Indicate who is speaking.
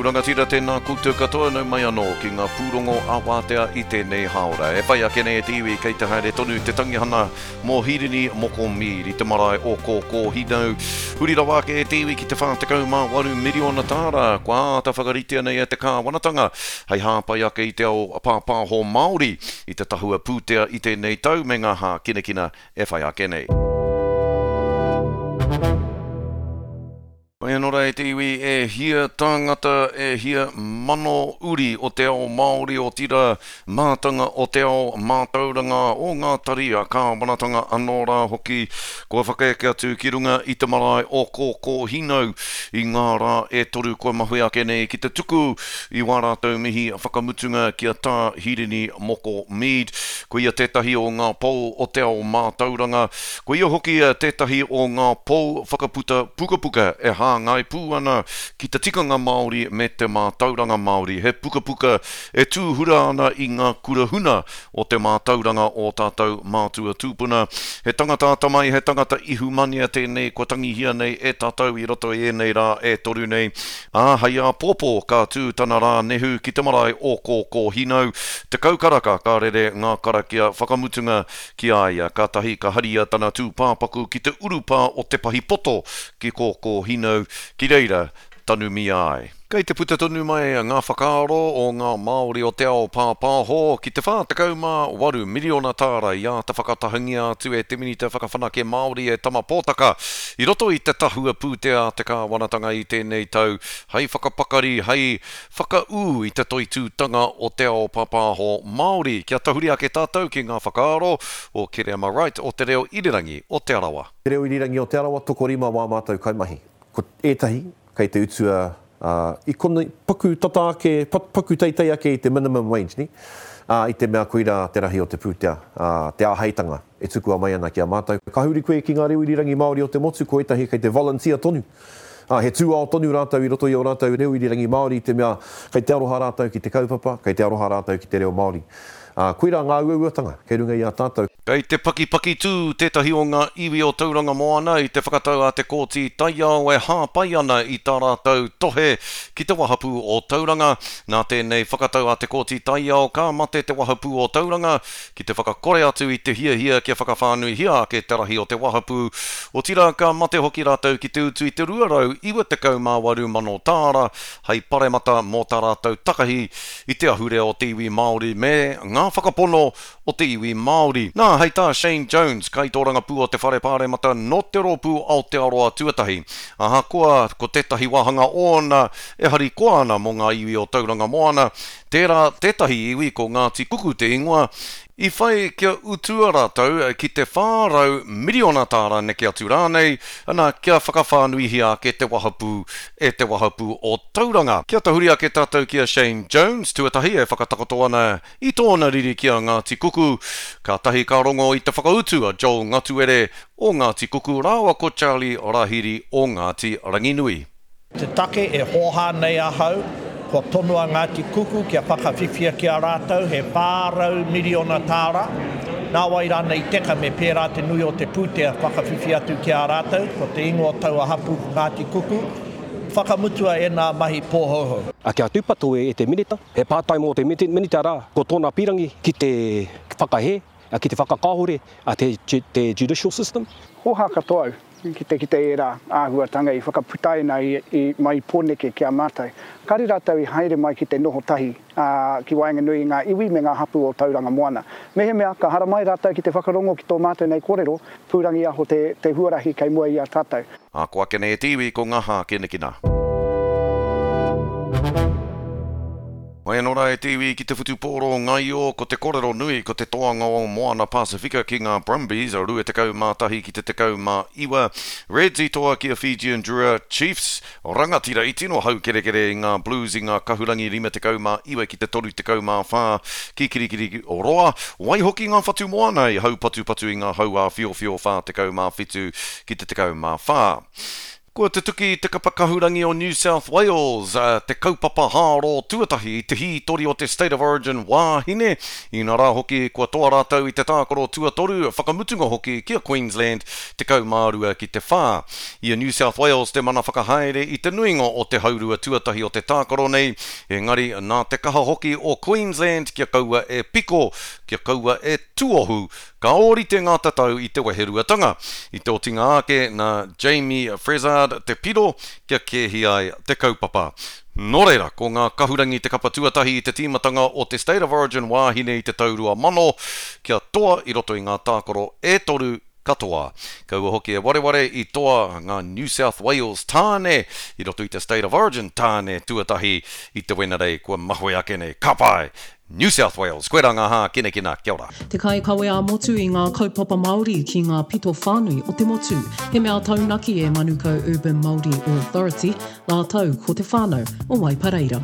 Speaker 1: ōku rangatira, tēnā koutou katoa, nau mai anō ki ngā pūrongo ā-wātea i tēnei hāora. E whai ake nei e te iwi kei te haere tonu te tangihana mō Hirini Moko Mead i te marae o Kōkōhinau. Huri rawa ake e te iwi ki te 48 miriona tāra kua āta whakaritea nei e te kāwanatanga hei hāpai ake i te ao pāpāho Māori i te tahua pūtea i tēnei tau me ngā hākinakina e whai ake nei. Mai anō rā e te iwi, e hia tāngata, e hia mano uri o te ao Māori, otirā, mātanga o te ao mātauranga, o ngā tari a kāwanatanga anō rā hoki, kua whakaeke atu ki runga i te marae o Kōkōhinau i ngā rā e toru kua mahue ake nei ki te tuku i wā rātou mihi whakamutunga ki a Tā Hirini Moko Mead. Ko ia tētahi o ngā pou o te ao mātauranga, Ko ia hoki tētahi o ngā pou whakaputa pukapuka e hāngai pū ana ki te tikanga Māori me te mātauranga Māori, he pukapuka e tūhura ana i ngā kura huna o te mātauranga o tātou mātua tūpuna. He tangata atamai, he tangata ihumanea tēnei kua tangihia nei e tātou i roto i ēnei rā e toru nei, ā, hei āpōpō ka tū tana rā nehu ki te marae o Kōkōhinau. 10 karaka ka rere ngā karakia whakamutunga Ki a ia, kātahi ka haria tana tūpāpaku ki te urupā o Te Pahi Poto ki Kōkōhinau, ki reira tanumia ai. Kei te puta tonu mai ngā whakaaro o ngā Māori o te ao pāpāho ki te 48 miriona tāra i āta whakatahangia atu e te Minita Whakawhanake Māori e Tama Potaka i roto i te tahua pūtea a te kāwanatanga i tēnei tau hei whakapakari, hei Whakaū i te toitūtanga o te ao pāpāho Māori. Kia tahuri ake tātou ki ngā whakaaro o Kereama Wright o Te Reo Irirangi o Te Arawa.
Speaker 2: Te Reo Irirangi o Te Arawa, tokorima wā mātou kaimahi. Ko ētahi kei te utua i konei, paku tata ake, paku teitei ake i te minimum wage, nē? Ā, i te mea koirā te rahi o te pūtea, ā, te āheitanga e tukua mai ana ki a mātou. Ka huri koe ki ngā reo irirangi Māori o te motu, ko ētahi kei te volunteer tonu. Ā, he tūao tonu rātou i roto i ō rātou reo irirangi Māori i te mea kei te aroha rātou ki te kaupapa, kei te aroha rātou ki te reo Māori. Ā, koirā ngā uauatanga kei runga i a tātou.
Speaker 1: Kei te pakipakitū tētahi o ngā iwi o Tauranga Moana i te whakatau a te Kōti Taiao e hāpai ana i tā rātou tohe ki te wahapū o Tauranga. Nā tēnei whakatau a te Kōti Taiao ka mate te wahapū o Tauranga ki te whakakore atu i te hiahia kia whakawhānuihia ake te rahi o te wahapū, otirā ka mate hoki rātou ki te utu i te 298 mano tāra hei paremata mō tā rātou takahi i te ahurea o te iwi Māori me ngā whakapono o te iwi Māori. Nā, hei tā Shane Jones, kaitōrangapū o te Whare Pāremata nō te Rōpū Aotearoa Tuatahi, ahakoa ko tētahi wāhanga ōna e harikoa ana mō ngā iwi o Tauranga Moana, Tērā tētahi iwi ko Ngāti Kuku te ingoa, i whai kia utua rātou ki te 400 miriona tāra neke atu rānei, ana, kia whakawhānuihia ake te wahapū e te wahapū o Tauranga. Kia tahuri ake tātou ki a Shane Jones, tuatahi e whakatakoto ana i tōna riri ki a Ngāti Kuku, kātahi ka rongo i te whakautu a Joel Ngatuere o Ngāti Kuku rāua ko Charlie Rahiri o Ngāti Ranginui.
Speaker 3: Te take e hōhā nei ahau, kua tonoa Ngāti Kuku kia whakawhiwhia ki a rātou he 400 miriona tāra, nāwai rānei i teka me pērā te nui o te pūtea whakawhiwhi atu ki a rātou, ko te ingoa o taua hapū ko Ngāti Kuku, whakamutua ēnā mahi pōhouhou.
Speaker 4: A kia tūpato e te Minita, he pātai mō te Minita rā, ko tōna pīrangi ki te whakahē, ki te whakakāhore a te judicial system.
Speaker 5: Hōhā katoa au ki te kite ērā āhuatanga i whakaputaina i mai i Pōneke ki a mātou. Kāre rātou i haere mai ki te noho tahi ki waenganui i ngā iwi me ngā hapū o Tauranga Moana. Mehemea ka haramai rātou ki te whakarongo ki tō mātou nei kōrero, pūrangiaho te huarahi kei mua i a tātou.
Speaker 1: Ā, ko ake nei e te iwi ko ngā hākinakina. Mai anō rā e te iwi ki te whutupōro ngaio, ko te korero nui ko te toanga o Moana Pasifika ki ngā Brumbies, 21 ki te 19. Reds i toa ki a Fijian Drua, Chiefs, rangatira i tino haukerekere i ngā Blues i ngā kahurangi 59 ki te 34 ki Kirikiriroa, waihoki ngā Whatumoana i haupatupatu i ngā hau āwhiowhio 47 ki te 14. Kua tutuki te kapa kahurangi o New South Wales te kaupapa hāro tuatahi i te hītori o te State of Origin wāhine, inarā hoki kua toa rātou i te tākaro tuatoru, whakamutunga hoki ki a Queensland 12 ki te whā. I a New South Wales te mana whakahaere i te nuinga o te haurua tuatahi o te tākaro nei, engari nā te kaha hoki o Queensland kia kaua e piko, kia kaua e tuohu Ka ōrite ngā tatau i te weheruatanga. I te otinga ake, nā Jamie Frezard te piro kia kēhi ai te kaupapa. Nō reira, ko ngā kahurangi te kapa tuatahi i te tīmatanga o te State of Origin wāhine i te tau 2000, kia toa i roto i ngā tākaro e toru katoa. Kaua hoki e wareware i toa ngā New South Wales tāne i roto i te State of Origin tāne tuatahi i te Wenerei kua mahue ake nei. Ka pai! New South Wales. Koirā ngā hākinakina. Kia ora.
Speaker 6: Te kaikawe ā-motu i ngā kaupapa Māori ki ngā pito whānui o te motu. He mea taunaki e Manukau Urban Māori Authority rātou ko te whānau o Waipareira.